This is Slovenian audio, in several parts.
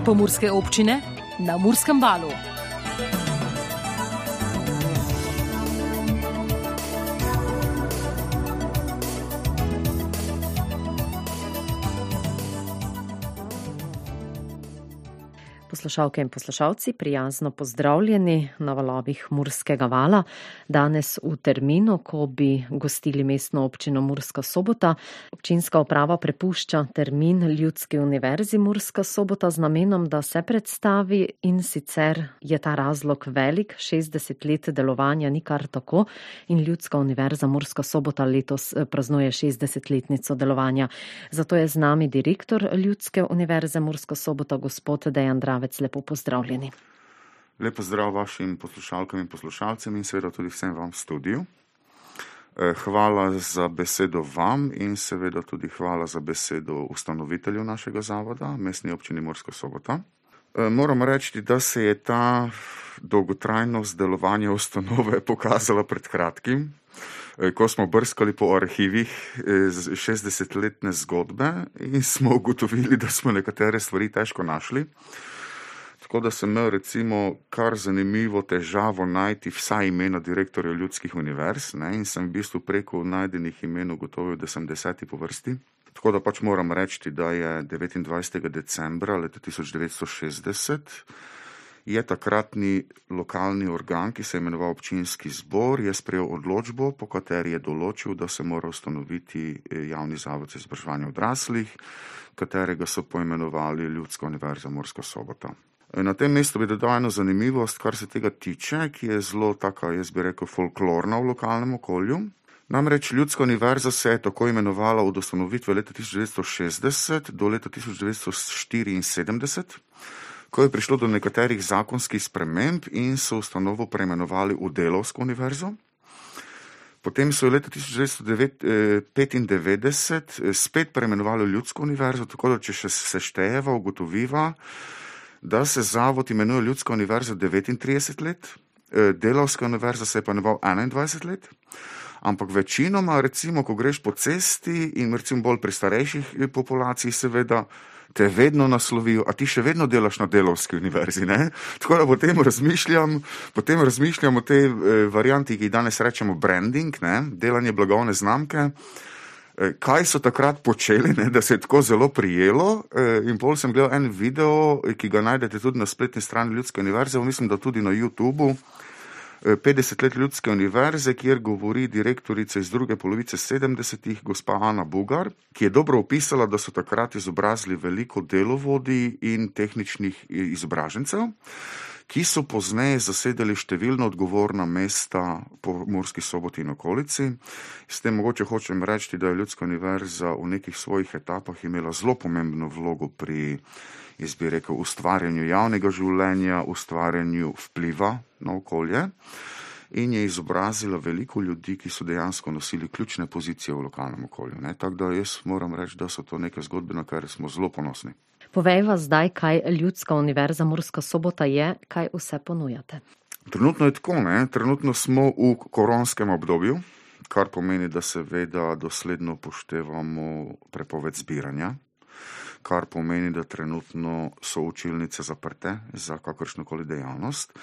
Pomurske občine na Murskem valu. Poslušalke in poslušalci, prijazno pozdravljeni na valovih Murskega vala. Danes v terminu, ko bi gostili mestno občino Murska Sobota, občinska uprava prepušča termin Ljudski univerzi Murska Sobota z namenom, da se predstavi, in sicer je ta razlog velik, 60 let delovanja ni kar tako in Ljudska univerza Murska Sobota letos praznuje 60-letnico delovanja. Zato je z nami direktor Ljudske univerze Murska Sobota, gospod Dejan Dravec. Lepo pozdravljeni. Lep pozdrav vašim poslušalkam in poslušalcem in seveda tudi vsem vam v studiu. Hvala za besedo vam in seveda tudi hvala za besedo ustanovitelju našega zavoda, Mestni občini Murska Sobota. Moram reči, da se je ta dolgotrajnost delovanja ustanove pokazala pred kratkim, ko smo brskali po arhivih 60-letne zgodbe in smo ugotovili, da smo nekatere stvari težko našli. Tako da sem imel recimo kar zanimivo težavo najti vsa imena direktorja ljudskih univerz, in sem v bistvu preko najdenih imen ugotovil, da sem 10. po vrsti. Tako da pač moram reči, da je 29. decembra leta 1960 je takratni lokalni organ, ki se je imenoval občinski zbor, je sprejel odločbo, po kateri je določil, da se mora ustanoviti javni zavod za izobraževanje odraslih, katerega so poimenovali Ljudska univerza Murska Sobota. Na tem mestu bi dodal eno zanimivost, kar se tega tiče, ki je zelo taka, jaz bi rekel, folklorna v lokalnem okolju. Namreč Ljudska univerza se je tako imenovala od ustanovitve leta 1960 do leta 1974, ko je prišlo do nekaterih zakonskih sprememb in so ustanovo preimenovali v Delavsko univerzo. Potem so leta 1995 spet preimenovali Ljudsko univerzo, tako da če še seštejeva, ugotoviva, da se zavod imenuje Ljudska univerza 39 let, Delavska univerza se je pa imenoval 21 let, ampak večinoma, recimo, ko greš po cesti in recimo bolj pri starejših populaciji, seveda te vedno naslovijo, a ti še vedno delaš na Delavski univerzi, ne? Tako da potem razmišljam o tej varianti, ki danes rečemo branding, delanje blagovne znamke. Kaj so takrat počeli, da se je tako zelo prijelo, in pol sem gledal en video, ki ga najdete tudi na spletni strani Ljudske univerze, mislim, da tudi na YouTubeu, 50 let Ljudske univerze, kjer govori direktorica iz druge polovice 70-ih, gospa Ana Bugar, ki je dobro opisala, da so takrat izobrazili veliko delovodij in tehničnih izobražencev, ki so pozneje zasedali številna odgovorna mesta po Murski Soboti in okolici. S tem mogoče hočem reči, da je Ljudska univerza v nekih svojih etapah imela zelo pomembno vlogo pri, jaz bi rekel, ustvarjanju javnega življenja, ustvarjanju vpliva na okolje in je izobrazila veliko ljudi, ki so dejansko nosili ključne pozicije v lokalnem okolju. Tako da jaz moram reči, da so to neke zgodbe, na kar smo zelo ponosni. Povejva zdaj, kaj Ljudska univerza Murska Sobota je, kaj vse ponujate. Trenutno je tako, trenutno smo v koronskem obdobju, kar pomeni, da seveda dosledno upoštevamo prepoved zbiranja, kar pomeni, da trenutno so učilnice zaprte za kakršnokoli dejavnost,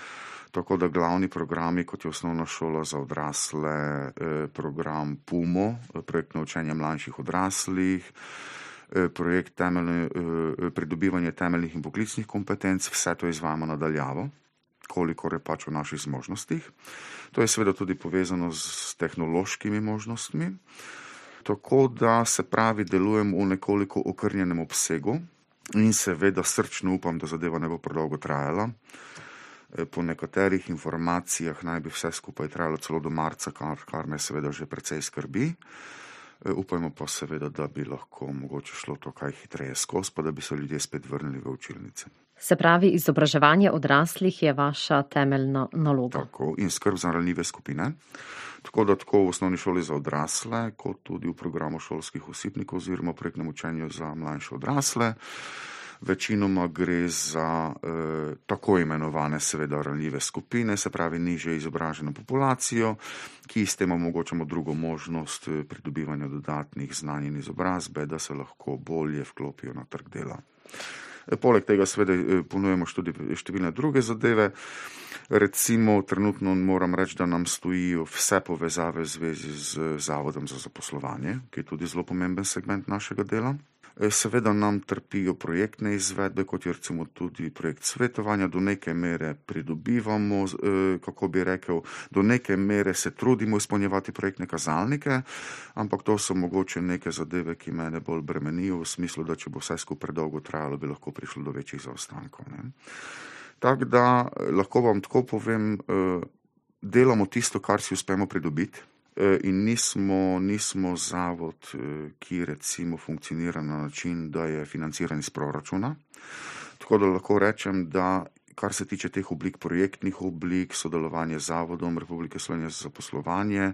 tako da glavni programi, kot je osnovna šola za odrasle, program PUMO, projektno učenje mlajših odraslih, projekt pridobivanje temeljnih in poklicnih kompetenc, vse to izvajamo nadaljavo, kolikor je pač v naših zmožnostih. To je seveda tudi povezano s tehnološkimi možnostmi, tako da se pravi delujem v nekoliko okrnjenem obsegu in seveda srčno upam, da zadeva ne bo predolgo trajala. Po nekaterih informacijah naj bi vse skupaj trajalo celo do marca, kar me seveda že precej skrbi. Upajmo pa seveda, da bi lahko mogoče šlo to kaj hitreje skozi, pa da bi se ljudje spet vrnili v učilnice. Se pravi, izobraževanje odraslih je vaša temeljna naloga. Tako, in skrb za ranljive skupine. Tako da tako v osnovni šoli za odrasle, kot tudi v programu šolskih osipnikov oziroma projektnem učenju za mlajše odrasle. Večinoma gre za tako imenovane seveda ranljive skupine, se pravi nižje izobraženo populacijo, ki s tem omogočamo drugo možnost pridobivanja dodatnih znanj in izobrazbe, da se lahko bolje vklopijo na trg dela. Poleg tega seveda ponujemo številne druge zadeve. Recimo trenutno moram reči, da nam stojijo vse povezave v zvezi z Zavodom za zaposlovanje, ki je tudi zelo pomemben segment našega dela. Seveda nam trpijo projektne izvedbe, kot je recimo tudi projekt svetovanja, do neke mere pridobivamo, kako bi rekel, do neke mere se trudimo izpolnjevati projektne kazalnike, ampak to so mogoče neke zadeve, ki mene bolj bremenijo v smislu, da če bo vse skupaj predolgo trajalo, bi lahko prišlo do večjih zaostankov, ne. Tako da lahko vam tako povem, delamo tisto, kar si uspemo pridobiti. In nismo zavod, ki recimo funkcionira na način, da je financiran iz proračuna. Tako da lahko rečem, da kar se tiče teh oblik, projektnih oblik, sodelovanje z Zavodom Republike Slovenije za zaposlovanje,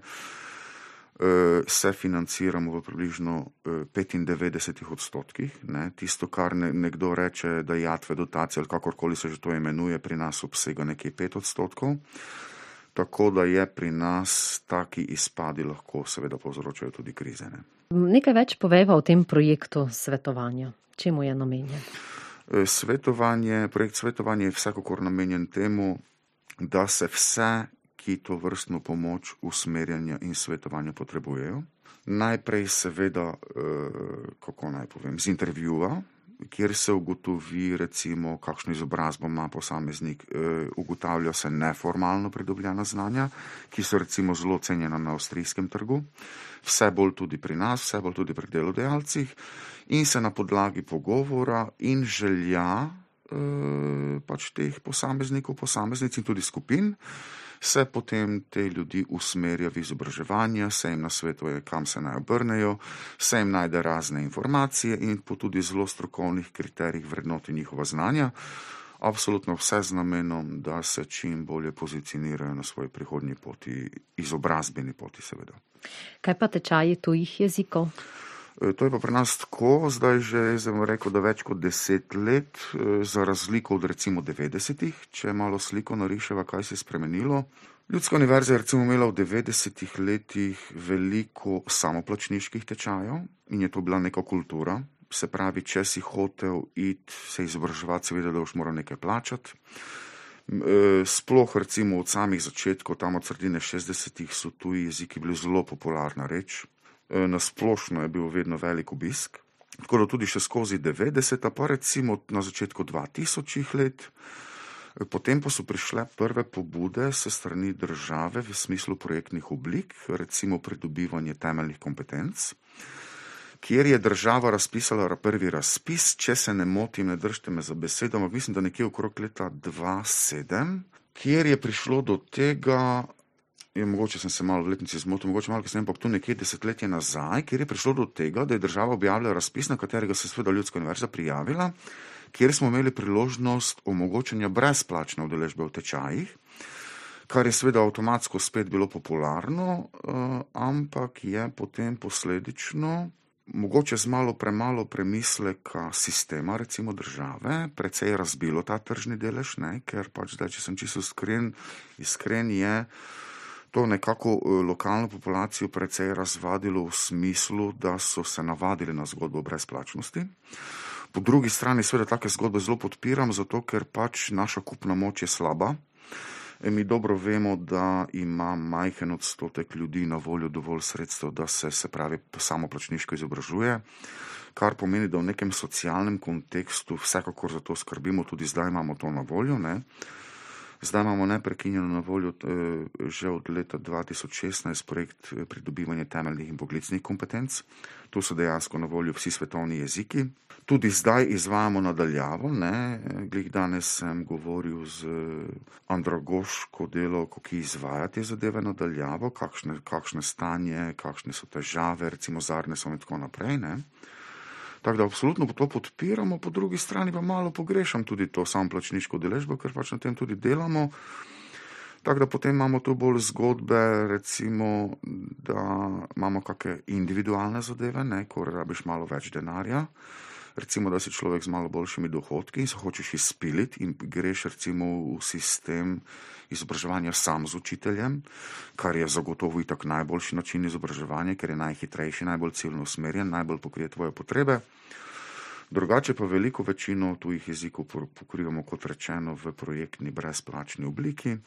se financiramo v približno 95%. Ne. Tisto, kar nekdo reče, dajatve, dotacije ali kakorkoli se že to imenuje, pri nas obsega nekje 5%. Tako da je pri nas taki izpadi lahko seveda povzročajo tudi krize. Ne. Nekaj več povejva o tem projektu svetovanja. Čemu je namenjen? Projekt svetovanja je vsekakor namenjen temu, da se vse, ki to vrstno pomoč, usmerjanja in svetovanja potrebujejo. Najprej seveda, kako naj povem, z intervjuja, kjer se ugotovi recimo, kakšno izobrazbo ima posameznik, ugotavlja se neformalno pridobljena znanja, ki so recimo zelo cenjena na avstrijskem trgu, vse bolj tudi pri nas, vse bolj tudi pri delodajalcih, in se na podlagi pogovora in želja pač teh posameznikov, posameznic in tudi skupin, se potem te ljudi usmerja v izobraževanje, se jim nasvetuje, kam se naj obrnejo, se jim najde razne informacije in po tudi zelo strokovnih kriterijih vrednoti njihova znanja. Absolutno vse z namenom, da se čim bolje pozicionirajo na svoji prihodnji poti, izobrazbeni poti seveda. Kaj pa tečaji tujih jezikov? To je pa pri nas tako, zdaj že sem rekel, da več kot 10 let, za razliko od recimo 90-ih, če malo sliko nariševa, kaj se je spremenilo. Ljudska univerza je recimo imela v 90-ih letih veliko samoplačniških tečajev in je to bila neka kultura. Se pravi, če si hotel iti se izobraževati, seveda, da boš moral nekaj plačati. Sploh recimo od samih začetkov, tam od sredine 60-ih so tuji jeziki bili zelo popularna reč. Na splošno je bil vedno velik obisk, tako da tudi še skozi 90-ta, pa recimo na začetku 2000-ih let. Potem pa so prišle prve pobude se strani države v smislu projektnih oblik, recimo pridobivanje temeljnih kompetenc, kjer je država razpisala prvi razpis, če se ne motim, ne držite me za besedo, ampak mislim, da nekje okrog leta 2007, kjer je prišlo do tega, mogoče sem se malo v letnici zmotil, mogoče malo kasneje, ampak tu nekje desetletje nazaj, kjer je prišlo do tega, da je država objavila razpis, na katerega se seveda Ljudska univerza prijavila, kjer smo imeli priložnost omogočanja brezplačne udeležbe v tečajih, kar je seveda avtomatsko spet bilo popularno, ampak je potem posledično, mogoče z malo premalo premisleka sistema, recimo države, precej razbilo ta tržni delež, ne, ker pač zdaj, če sem čisto iskren je, to nekako lokalno populacijo precej razvadilo v smislu, da so se navadili na zgodbo brezplačnosti. Po drugi strani seveda take zgodbe zelo podpiram, zato ker pač naša kupna moč je slaba. Mi dobro vemo, da ima majhen odstotek ljudi na voljo dovolj sredstev, da se pravi samoplačniško izobražuje, kar pomeni, da v nekem socialnem kontekstu vsekakor za to skrbimo, tudi zdaj imamo to na voljo, ne. Zdaj imamo neprekinjeno na voljo že od leta 2016 projekt pridobivanja temeljnih in poklicnih kompetenc. Tu so dejansko na voljo vsi svetovni jeziki. Tudi zdaj izvajamo nadaljavo, ne. Glih danes sem govoril z andragoško delavko, ki izvaja te zadeve nadaljavo, kakšne stanje, kakšne so težave, recimo z Arnesom in tako naprej, ne. Tako da absolutno to podpiramo, po drugi strani pa malo pogrešam tudi to samoplačniško udeležbo, ker pač na tem tudi delamo. Tako da potem imamo tu bolj zgodbe, recimo, da imamo kakšne individualne zadeve, ne, ko rabiš malo več denarja. Recimo, da si človek z malo boljšimi dohodki in se hočeš izpiliti in greš recimo v sistem izobraževanja sam z učiteljem, kar je zagotovo itak najboljši način izobraževanja, ker je najhitrejši, najbolj ciljno usmerjen, najbolj pokrije tvoje potrebe. Drugače pa veliko večino tujih jezikov pokrivamo, kot rečeno, v projektni brezplačni obliki.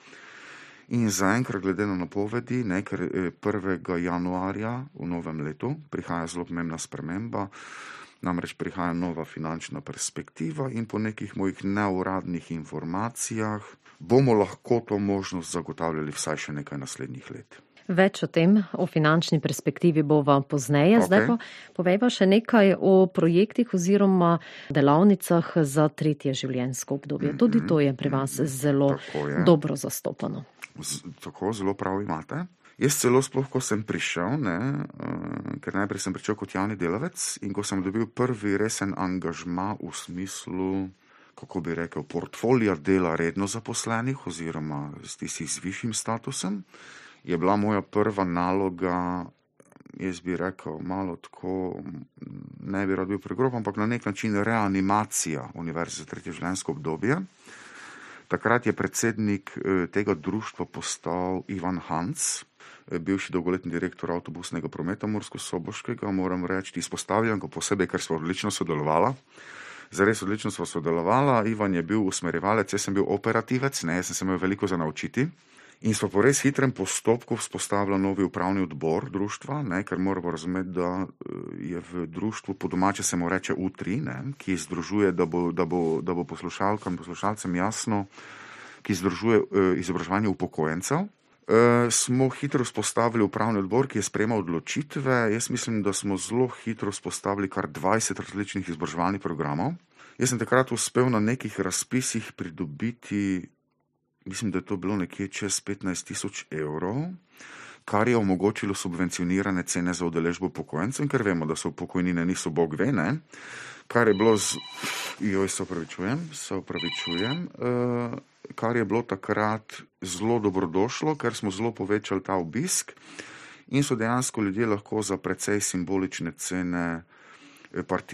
In zaenkrat glede na napovedi, ker 1. januarja v novem letu prihaja zelo pomembna sprememba, namreč prihaja nova finančna perspektiva in po nekih mojih neuradnih informacijah bomo lahko to možnost zagotavljali vsaj še nekaj naslednjih let. Več o tem, o finančni perspektivi bova pozneje. Zdaj pa povejva še nekaj o projektih oziroma delavnicah za tretje življenjsko obdobje. Tudi to je pri vas zelo dobro zastopano. Tako, zelo prav imate. Jaz celo sploh, ko sem prišel, ker najprej sem pričel kot javni delavec in ko sem dobil prvi resen angažma v smislu, kako bi rekel, portfolija dela redno zaposlenih oziroma tistih z višjim statusom, je bila moja prva naloga, jaz bi rekel, malo tako, ne bi rad bil pregrob, ampak na nek način reanimacija Univerze za tretje življenjsko obdobje. Takrat je predsednik tega društva postal Ivan Hans, bivši dolgoletni direktor avtobusnega prometa Mursko-Soboškega, moram reči, izpostavljam ga posebej, ker smo odlično sodelovala. Zares odlično smo sodelovala, Ivan je bil usmerjevalec, jaz sem bil operativec, jaz sem se imel veliko za naučiti. In smo po res hitrem postopku vzpostavili novi upravni odbor društva, ker moramo razumeti, da je v društvu, po domače se mu reče U3, ki združuje, da bo poslušalkam, poslušalcem jasno, ki združuje izobraževanje upokojencev. Smo hitro vzpostavili upravni odbor, ki je sprejemal odločitve. Jaz mislim, da smo zelo hitro vzpostavili kar 20 različnih izobraževalnih programov. Jaz sem takrat uspel na nekih razpisih pridobiti, mislim, da je to bilo nekje čez 15 000 evrov, kar je omogočilo subvencionirane cene za udeležbo upokojencev, ker vemo, da so pokojnine niso bog ve, kar je bilo kar je bilo takrat zelo dobrodošlo, ker smo zelo povečali ta obisk in so dejansko ljudje lahko za precej simbolične cene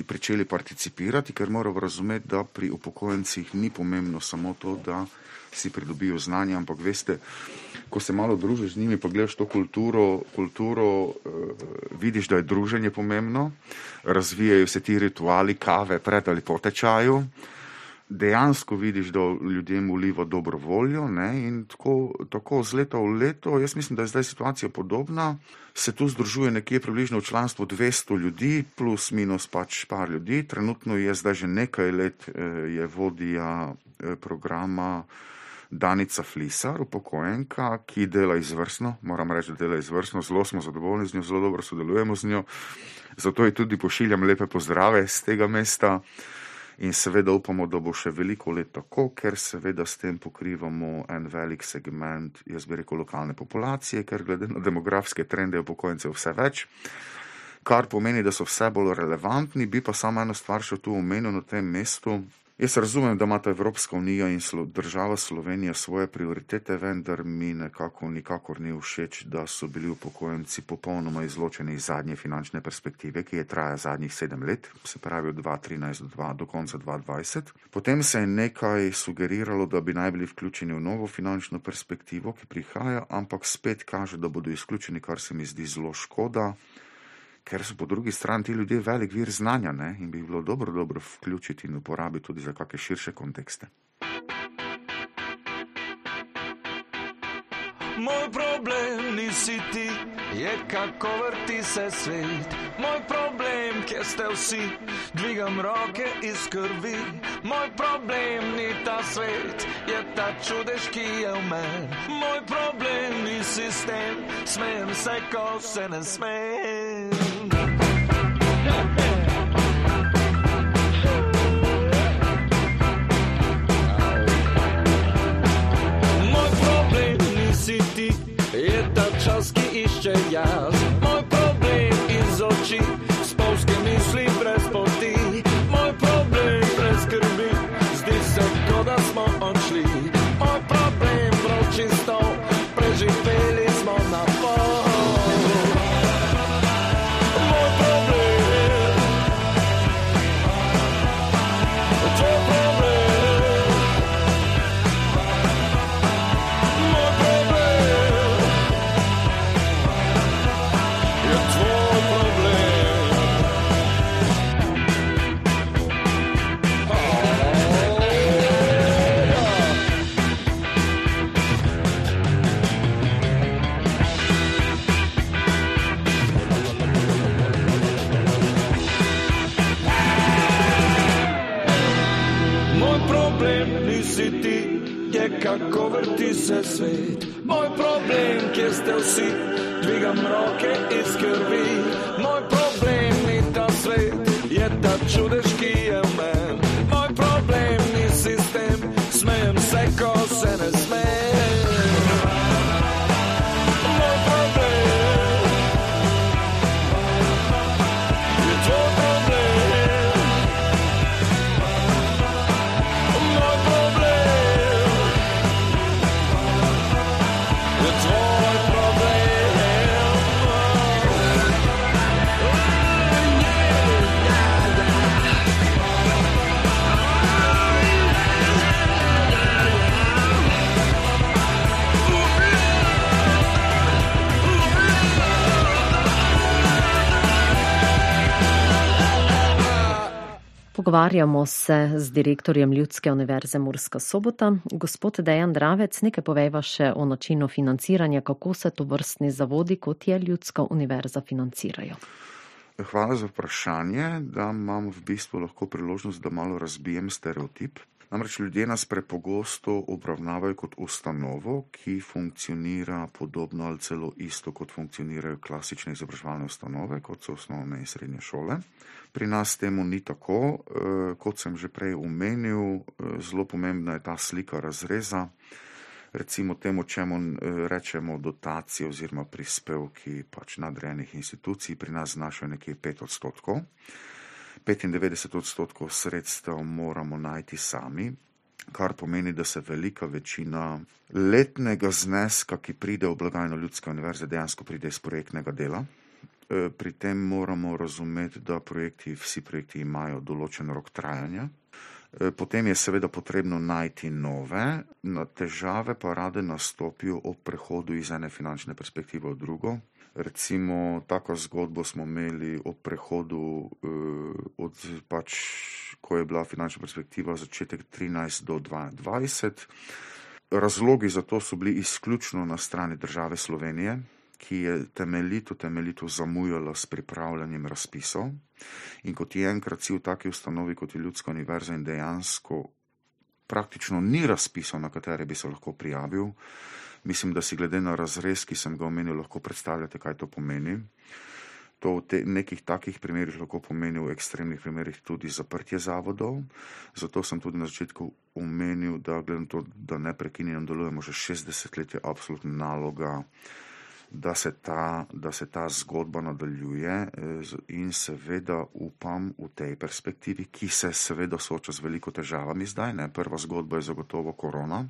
pričeli participirati, ker moramo razumeti, da pri upokojencih ni pomembno samo to, da si pridobijo znanje, ampak veste, ko se malo družiš z njimi, pa gledaš to kulturo, vidiš, da je druženje pomembno, razvijajo se ti rituali kave pred ali po tečaju, dejansko vidiš, da ljudem vliva dobro voljo, in tako z leta v leto, jaz mislim, da je zdaj situacija podobna, se tu združuje nekje približno v članstvu 200 ljudi, plus minus par ljudi, trenutno je zdaj že nekaj let je vodja programa Danica Flisar, upokojenka, ki dela izvrstno, moram reči, da dela izvrstno, zelo smo zadovoljni z njo, zelo dobro sodelujemo z njo, zato ji tudi pošiljam lepe pozdrave z tega mesta in seveda upamo, da bo še veliko let tako, ker seveda s tem pokrivamo en velik segment, jaz bi rekel, lokalne populacije, ker glede na demografske trende upokojencev vse več, kar pomeni, da so vse bolj relevantni, bi pa samo eno stvar še tu omenil na tem mestu. Jaz razumem, da imata Evropska unija in država Slovenija svoje prioritete, vendar mi nikakor ni všeč, da so bili upokojenci popolnoma izločeni iz zadnje finančne perspektive, ki je traja zadnjih 7 let, se pravi od 2013 do konca 2020. Potem se je nekaj sugeriralo, da bi naj bili vključeni v novo finančno perspektivo, ki prihaja, ampak spet kaže, da bodo izključeni, kar se mi zdi zelo škoda, ker so po drugi strani ti ljudje velik vir znanja, in bi bilo dobro vključiti in uporabiti tudi za kakšne širše kontekste. Moj problem nisi ti, je kako vrti se svet. Moj problem, kjer ste vsi, dvigam roke iz krvi. Moj problem ni ta svet, je ta čudež, ki je v meni. Moj problem ni sistem, smejem se, ko se ne smejem. Moj problem nisi ti, je ta čas, ki išče jaz. Moj problem iz oči, spolske misli brez poti. Moj problem brez skrbi, zdi se, ko da smo odšli. Moj problem prav čisto, preživeli smo na pol. je kako vrti se svet. Moj problem, kjer ste vsi, dvigam roke iz krvi. Moj problem ni ta svet, je ta čudež, ki je v men. Moj problem ni sistem, smejem se, ko se ne smejem. Moj problem je tvoj problem. Moj problem je tvoj problem. Pogovarjamo se z direktorjem Ljudske univerze Murska Sobota. Gospod Dejan Dravec, nekaj povejva še o načinu financiranja, kako se to vrstni zavodi, kot je Ljudska univerza, financirajo. Hvala za vprašanje, da imam v bistvu lahko priložnost, da malo razbijem stereotip. Namreč ljudje nas prepogosto obravnavajo kot ustanovo, ki funkcionira podobno ali celo isto, kot funkcionirajo klasične izobraževalne ustanove, kot so osnovne in srednje šole. Pri nas temu ni tako, kot sem že prej omenil, zelo pomembna je ta slika razreza. Recimo temu, čemu rečemo dotacije oziroma prispevki pač nadrejenih institucij, pri nas znašajo nekje 5%. 95% sredstev moramo najti sami, kar pomeni, da se velika večina letnega zneska, ki pride v blagajno Ljudske univerze, dejansko pride iz projektnega dela. Pri tem moramo razumeti, da vsi projekti imajo določen rok trajanja. Potem je seveda potrebno najti nove, težave pa rade nastopijo ob prehodu iz ene finančne perspektive v drugo. Recimo, tako zgodbo smo imeli ob prehodu ko je bila finančna perspektiva začetek 13 do 22. Razlogi za to so bili izključno na strani države Slovenije, ki je temeljito zamujala s pripravljanjem razpisov. In kot je enkrat si v taki ustanovi, kot je Ljudska univerza, in dejansko praktično ni razpisov, na katere bi se lahko prijavil. Mislim, da si glede na razrez, ki sem ga omenil, lahko predstavljate, kaj to pomeni. To v nekih takih primerih lahko pomeni, v ekstremnih primerih tudi zaprtje zavodov. Zato sem tudi na začetku omenil, da glede na to, da neprekinjeno delujemo že 60 let, je absolutna naloga, da se ta zgodba nadaljuje in seveda upam v tej perspektivi, ki se seveda sooča z veliko težavami zdaj. Prva zgodba je zagotovo korona.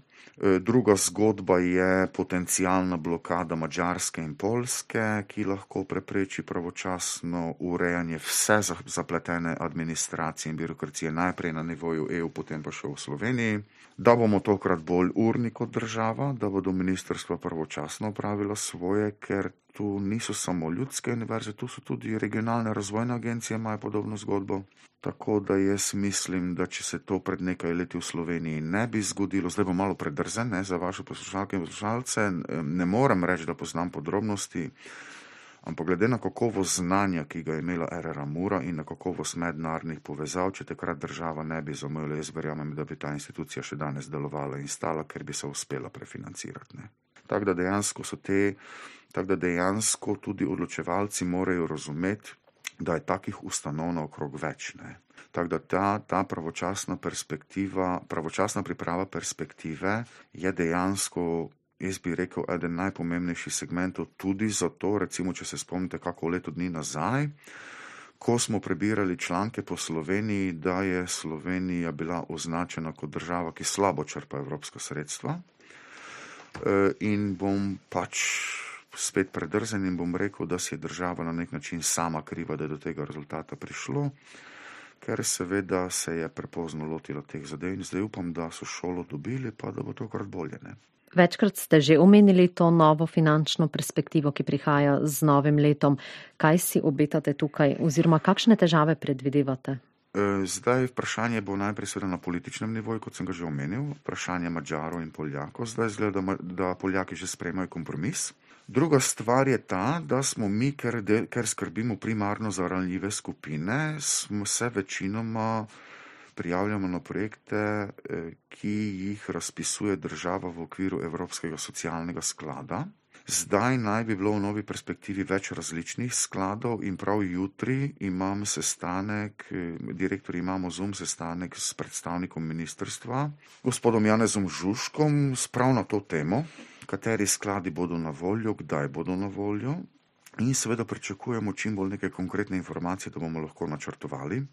Druga zgodba je potencialna blokada Madžarske in Poljske, ki lahko prepreči pravočasno urejanje vse zapletene administracije in birokracije, najprej na nivoju EU, potem pa še v Sloveniji. Da bomo tokrat bolj urni kot država, da bodo ministrstva pravočasno opravila svoje, ker tu niso samo Ljudske univerze, tu so tudi regionalne razvojne agencije, imajo podobno zgodbo. Tako da jaz mislim, da če se to pred nekaj leti v Sloveniji ne bi zgodilo, zdaj bo malo predrzen za vaše poslušalke in poslušalce, ne morem reči, da poznam podrobnosti, ampak glede na kakovost znanja, ki ga je imela RRA Mura in na kakovost mednarodnih povezav, če takrat država ne bi zamujala, jaz verjamem, da bi ta institucija še danes delovala in stala, ker bi se uspela prefinancirati. Tako da dejansko tudi odločevalci morajo razumeti, da je takih ustanov naokrog več. Tako da ta pravočasna priprava perspektive je dejansko, jaz bi rekel, eden najpomembnejših segmentov tudi zato, recimo, če se spomnite kako leto dni nazaj, ko smo prebirali članke po Sloveniji, da je Slovenija bila označena kot država, ki slabo črpa evropska sredstva. In bom pač spet predrzen in bom rekel, da si je država na nek način sama kriva, da je do tega rezultata prišlo, ker seveda se je prepozno lotila teh zadev in zdaj upam, da so šolo dobili, pa da bo tokrat bolje. Večkrat ste že omenili to novo finančno perspektivo, ki prihaja z novim letom. Kaj si obetate tukaj oziroma kakšne težave predvidevate? Zdaj vprašanje bo najprej seveda na političnem nivoju, kot sem ga že omenil, vprašanje Madžarov in Poljakov. Zdaj izgleda, da Poljaki že sprejemajo kompromis. Druga stvar je ta, da smo mi, ker skrbimo primarno za ranljive skupine, smo se večinoma prijavljamo na projekte, ki jih razpisuje država v okviru Evropskega socialnega sklada. Zdaj naj bi bilo v novi perspektivi več različnih skladov in prav jutri imam sestanek, direktor imamo Zoom sestanek s predstavnikom ministrstva, gospodom Janezom Žužkom, prav na to temo, kateri skladi bodo na voljo, kdaj bodo na voljo in seveda pričakujemo čim bolj neke konkretne informacije, da bomo lahko načrtovali,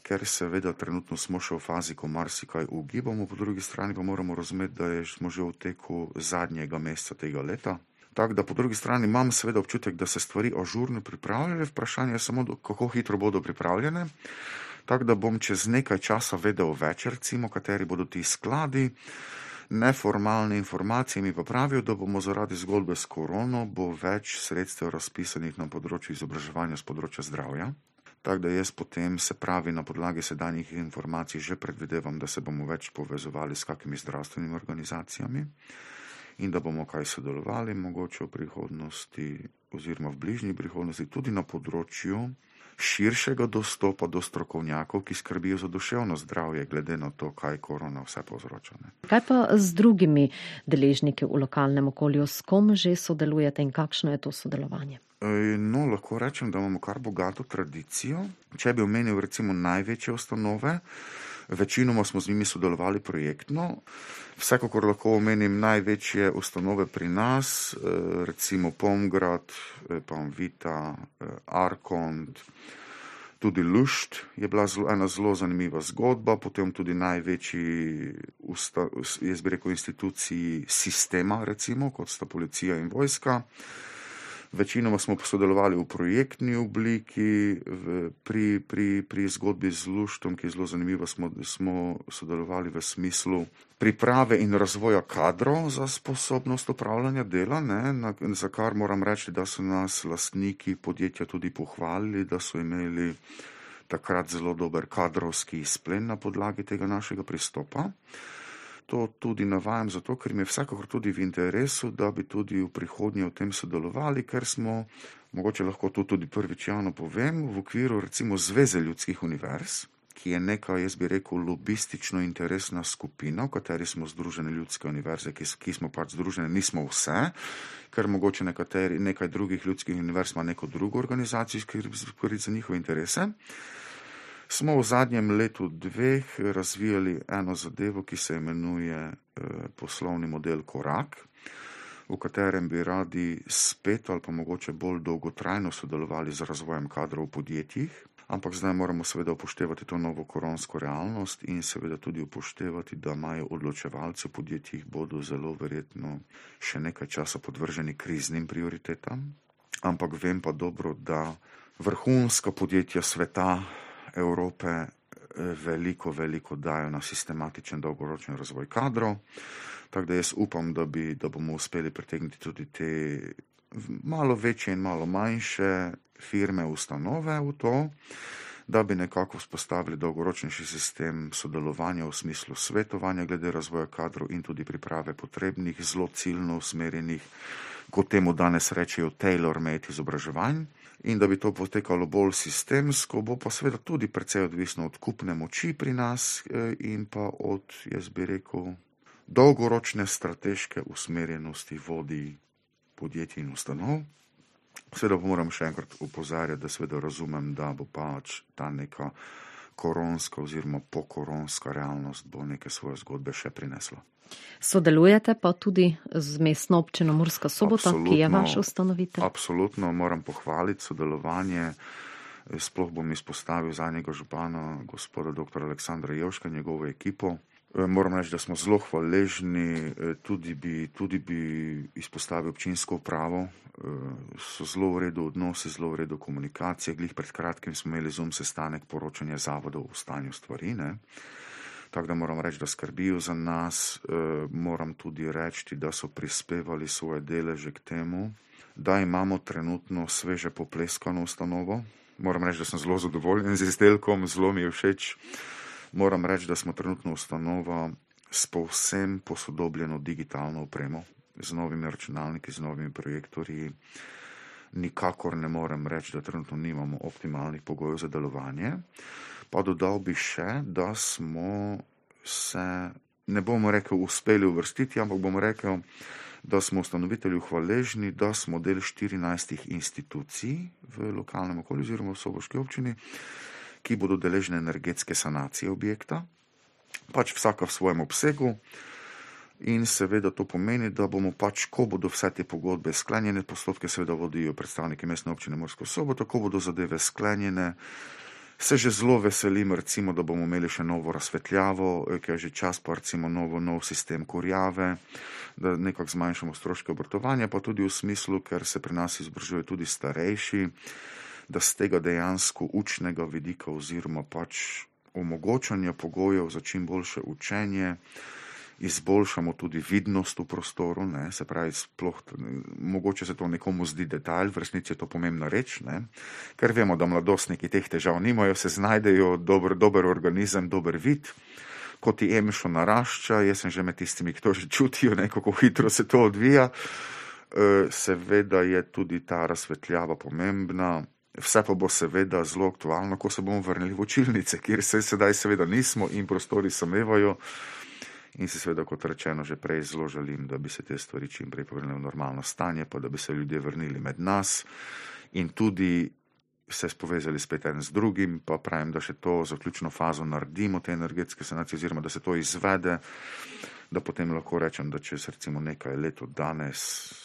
ker seveda trenutno smo še v fazi, ko marsikaj ugibamo, po drugi strani pa moramo razumeti, da smo že v teku zadnjega meseca tega leta. Tako da po drugi strani imam seveda občutek, da se stvari ažurno pripravljajo, vprašanje je samo, kako hitro bodo pripravljene. Tako da bom čez nekaj časa vedel več, recimo, kateri bodo ti skladi. Neformalne informacije mi pa pravijo, da bomo zaradi zgodbe s korono bo več sredstev razpisanih na področju izobraževanja z področja zdravja. Tako da jaz potem, se pravi, na podlagi sedanjih informacij že predvidevam, da se bomo več povezovali s kakimi zdravstvenimi organizacijami in da bomo kaj sodelovali mogoče v prihodnosti oziroma v bližnji prihodnosti tudi na področju širšega dostopa do strokovnjakov, ki skrbijo za duševno zdravje, glede na to, kaj korona vse povzroča. Kaj pa z drugimi deležniki v lokalnem okolju, s kom že sodelujete in kakšno je to sodelovanje? No, lahko rečem, da imamo kar bogato tradicijo. Če bi omenil recimo največje ustanove, večinoma smo z njimi sodelovali projektno. Vsekakor lahko omenim največje ustanove pri nas, recimo Pomgrad, Panvita, Arkont, tudi Lušt je bila ena zelo zanimiva zgodba, potem tudi največji, jaz bi rekel, instituciji sistema, recimo, kot sta policija in vojska. Večinoma smo sodelovali v projektni obliki, pri zgodbi z Luštom, ki je zelo zanimiva, smo sodelovali v smislu priprave in razvoja kadrov za sposobnost upravljanja dela, za kar moram reči, da so nas lastniki podjetja tudi pohvalili, da so imeli takrat zelo dober kadrovski izplen na podlagi tega našega pristopa. To tudi navajam zato, ker mi je vsekakor tudi v interesu, da bi tudi v prihodnje v tem sodelovali, ker smo, mogoče lahko to tudi prvič javno povem, v okviru recimo Zveze ljudskih univerz, ki je neka, jaz bi rekel, lobistično interesna skupina, v kateri smo združene ljudske univerze, ki smo pač združene, nismo vse, ker mogoče nekaj drugih ljudskih univerz ima neko drugo organizacijo, ki skrbi za njihove interese. Smo v zadnjem letu dveh razvijali eno zadevo, ki se imenuje poslovni model Korak, v katerem bi radi spet ali pa mogoče bolj dolgotrajno sodelovali z razvojem kadrov v podjetjih, ampak zdaj moramo seveda upoštevati to novo koronsko realnost in seveda tudi upoštevati, da imajo odločevalci v podjetjih bodo zelo verjetno še nekaj časa podvrženi kriznim prioritetam, ampak vem pa dobro, da vrhunska podjetja sveta Evrope veliko dajo na sistematičen dolgoročni razvoj kadrov, tako da jaz upam, da bomo uspeli pritegniti tudi te malo večje in malo manjše firme, ustanove v to, da bi nekako vzpostavili dolgoročnejši sistem sodelovanja v smislu svetovanja glede razvoja kadrov in tudi priprave potrebnih, zelo ciljno usmerjenih, kot temu danes rečejo, tailor-made izobraževanj. In da bi to potekalo bolj sistemsko, bo pa seveda tudi precej odvisno od kupne moči pri nas in pa od, jaz bi rekel, dolgoročne strateške usmerjenosti vodij podjetij in ustanov. Seveda pa moram še enkrat opozarjati, da seveda razumem, da bo pač ta neka koronska oziroma pokoronska realnost bo neke svoje zgodbe še prinesla. Sodelujete pa tudi z mestno občino Murska Sobota, ki je vaš ustanovitelj? Absolutno, moram pohvaliti sodelovanje. Sploh bom izpostavil zadnjega župana, gospoda dr. Aleksandra Jevška, njegovo ekipo. Moram reči, da smo zelo hvaležni, tudi bi izpostavil občinsko upravo. So zelo v redu odnosi, zelo v redu komunikacije. Glih pred kratkim smo imeli Zoom sestanek poročanja zavodov o stanju stvari, Tako da moram reči, da skrbijo za nas. Moram tudi reči, da so prispevali svoje deleže k temu, da imamo trenutno sveže popleskano ustanovo. Moram reči, da sem zelo zadovoljen z izdelkom, zelo mi je všeč. Moram reči, da smo trenutno ustanova s povsem posodobljeno digitalno opremo, z novimi računalniki, z novimi projektorji. Nikakor ne morem reči, da trenutno nimamo optimalnih pogojev za delovanje. Pa dodal bi še, da smo se, ne bomo rekel, uspeli uvrstiti, ampak bomo rekel, da smo ustanovitelju hvaležni, da smo del 14 institucij v lokalnem okolju oziroma v soboški občini, ki bodo deležne energetske sanacije objekta, pač vsaka v svojem obsegu. In seveda to pomeni, da bomo pač, ko bodo vse te pogodbe sklenjene, postopke seveda vodijo predstavniki Mestne občine Mursko Soboto, ko bodo zadeve sklenjene, se že zelo veselim, recimo, da bomo imeli še novo razsvetljavo, ki je že čas, pa recimo nov sistem kurjave, da nekako zmanjšamo stroške obratovanja, pa tudi v smislu, ker se pri nas izobražujejo tudi starejši, da z tega dejansko učnega vidika oziroma pač omogočanja pogojev za čim boljše učenje izboljšamo tudi vidnost v prostoru, ne, se pravi, sploh, mogoče se to nekomu zdi detalj, v resnici je to pomembna reč, ne, ker vemo, da mladostniki teh težav nimajo, se znajdejo, dober organizem, dober vid, ko ti emšo narašča, jaz sem že med tistimi, ki to že čutijo, ne, kako hitro se to odvija, seveda je tudi ta razsvetljava pomembna, vse pa bo seveda zelo aktualno, ko se bomo vrnili v učilnice, kjer se sedaj seveda nismo in prostori samevajo. In si seveda, kot rečeno, že prej zelo želim, da bi se te stvari čim prej povrnile v normalno stanje, pa da bi se ljudje vrnili med nas in tudi se spovezali spet en z drugim, pa pravim, da še to zaključno fazo naredimo, te energetske sanacije, oziroma da se to izvede, da potem lahko rečem, da čez recimo nekaj let od danes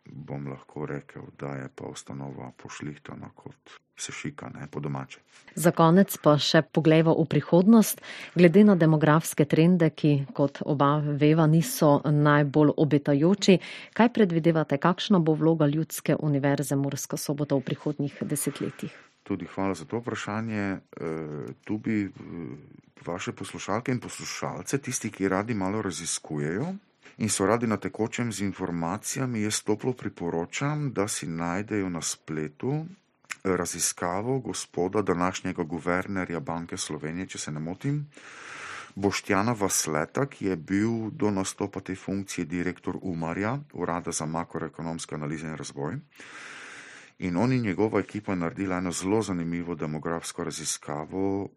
bom lahko rekel, da je pa ustanova pošlihtana kot se šika, ne, po domače. Za konec pa še poglejva v prihodnost. Glede na demografske trende, ki, kot oba veva, niso najbolj obetajoči, kaj predvidevate, kakšna bo vloga Ljudske univerze Murska Sobota v prihodnjih desetletjih? Tudi hvala za to vprašanje. Tu bi vaše poslušalke in poslušalce, tisti, ki radi malo raziskujejo in so radi na tekočem z informacijami, jaz toplo priporočam, da si najdejo na spletu raziskavo gospoda današnjega guvernerja Banke Slovenije, če se ne motim, Boštjana Vasleta, ki je bil do nastopa te funkcije direktor UMAR-ja, Urada za makroekonomske analize in razvoj. In on in njegova ekipa je naredila eno zelo zanimivo demografsko raziskavo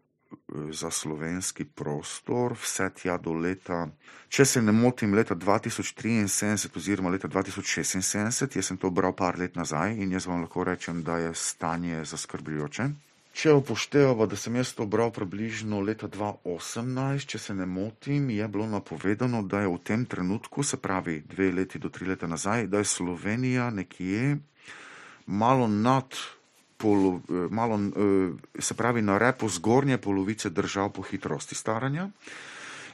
za slovenski prostor, vse tja do leta, če se ne motim, leta 2073 oziroma leta 2076, jaz sem to bral par let nazaj in jaz vam lahko rečem, da je stanje zaskrbljujoče. Če upoštevamo, da sem jaz to bral približno leta 2018, če se ne motim, je bilo napovedano, da je v tem trenutku, se pravi 2 leti do 3 leta nazaj, da je Slovenija nekje malo se pravi na repu zgornje polovice držav po hitrosti staranja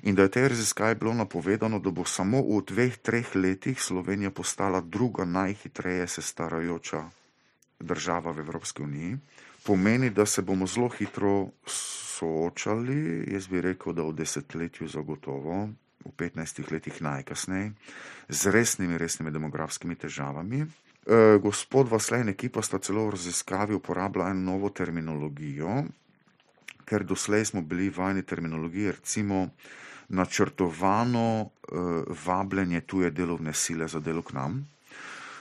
in da je tej raziskavi bilo napovedano, da bo samo v 2-3 letih Slovenija postala druga najhitreje se starajoča država v Evropski uniji. Pomeni, da se bomo zelo hitro soočali, jaz bi rekel, da v desetletju zagotovo, v 15 letih najkasneje, z resnimi demografskimi težavami. Gospod Vasle in ekipa sta celo v raziskavi uporabila eno novo terminologijo, ker doslej smo bili vajeni terminologije, recimo načrtovano vabljenje tuje delovne sile za delo k nam.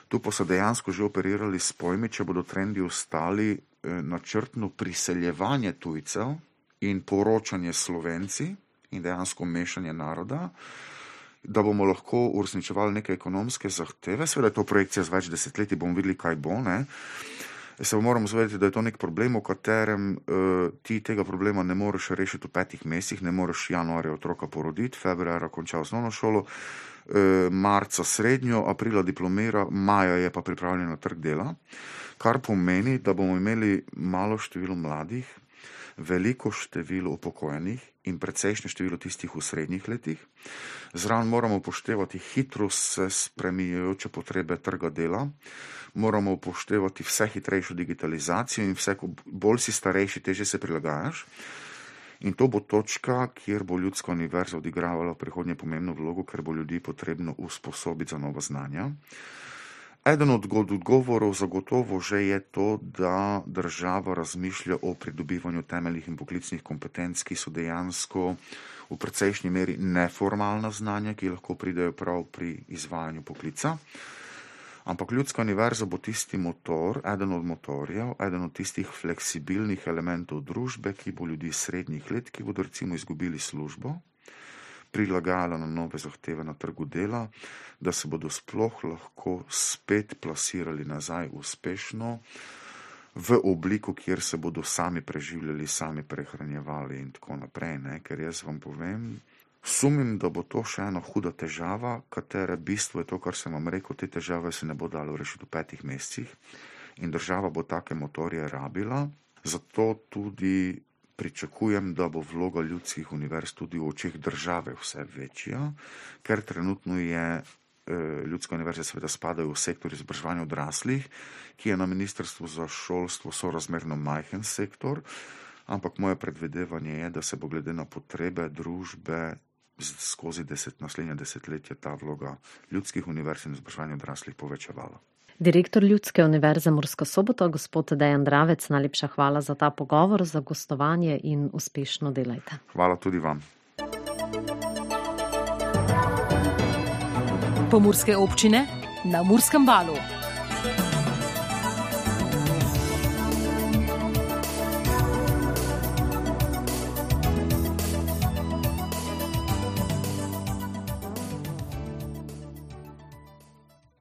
Tu pa so dejansko že operirali s pojmi, če bodo trendi ostali, načrtno priseljevanje tujcev in poročanje Slovenci in dejansko mešanje naroda, da bomo lahko uresničevali neke ekonomske zahteve. Seveda je to projekcija z več desetletij, bomo videli, kaj bo, ne. Se moramo zavedati, da je to nek problem, v katerem ti tega problema ne moreš rešiti v 5 mesecih, ne moreš januarja otroka poroditi, februarja konča osnovno šolo, marca srednjo, aprila diplomira, maja je pa pripravljen na trg dela, kar pomeni, da bomo imeli malo število mladih, veliko število upokojenih in precejšnje število tistih v srednjih letih. Zraven moramo upoštevati hitro se spreminjajoče potrebe trga dela, moramo upoštevati vse hitrejšo digitalizacijo in vse, bolj si starejši, težje se prilagajaš. In to bo točka, kjer bo Ljudska univerza odigravala v prihodnje pomembno vlogo, ker bo ljudi potrebno usposobiti za nova znanja. Eden od odgovorov zagotovo že je to, da država razmišlja o pridobivanju temeljnih in poklicnih kompetenc, ki so dejansko v precejšnji meri neformalna znanja, ki lahko pridejo prav pri izvajanju poklica. Ampak Ljudska univerza bo tisti motor, eden od motorjev, eden od tistih fleksibilnih elementov družbe, ki bo ljudi srednjih let, ki bodo recimo izgubili službo, prilagajala na nove zahteve na trgu dela, da se bodo sploh lahko spet plasirali nazaj uspešno v obliku, kjer se bodo sami preživljali, sami prehranjevali in tako naprej. Ker jaz vam povem, sumim, da bo to še ena huda težava, katere bistvo je to, kar sem vam rekel, te težave se ne bo dalo rešiti v 5 mesecih in država bo take motorje rabila, zato tudi pričakujem, da bo vloga ljudskih univerz tudi v očeh države vse večja, ker trenutno je Ljudske univerze seveda spadajo v sektor izobraževanja odraslih, ki je na Ministrstvu za šolstvo sorazmerno majhen sektor, ampak moje predvidevanje je, da se bo glede na potrebe družbe skozi naslednja desetletja ta vloga Ljudskih univerz in izobraževanja odraslih povečevala. Direktor Ljudske univerze Murska Sobota, gospod Dejan Dravec, najlepša hvala za ta pogovor, za gostovanje in uspešno delajte. Hvala tudi vam. Pomurske občine na Murskem Valu.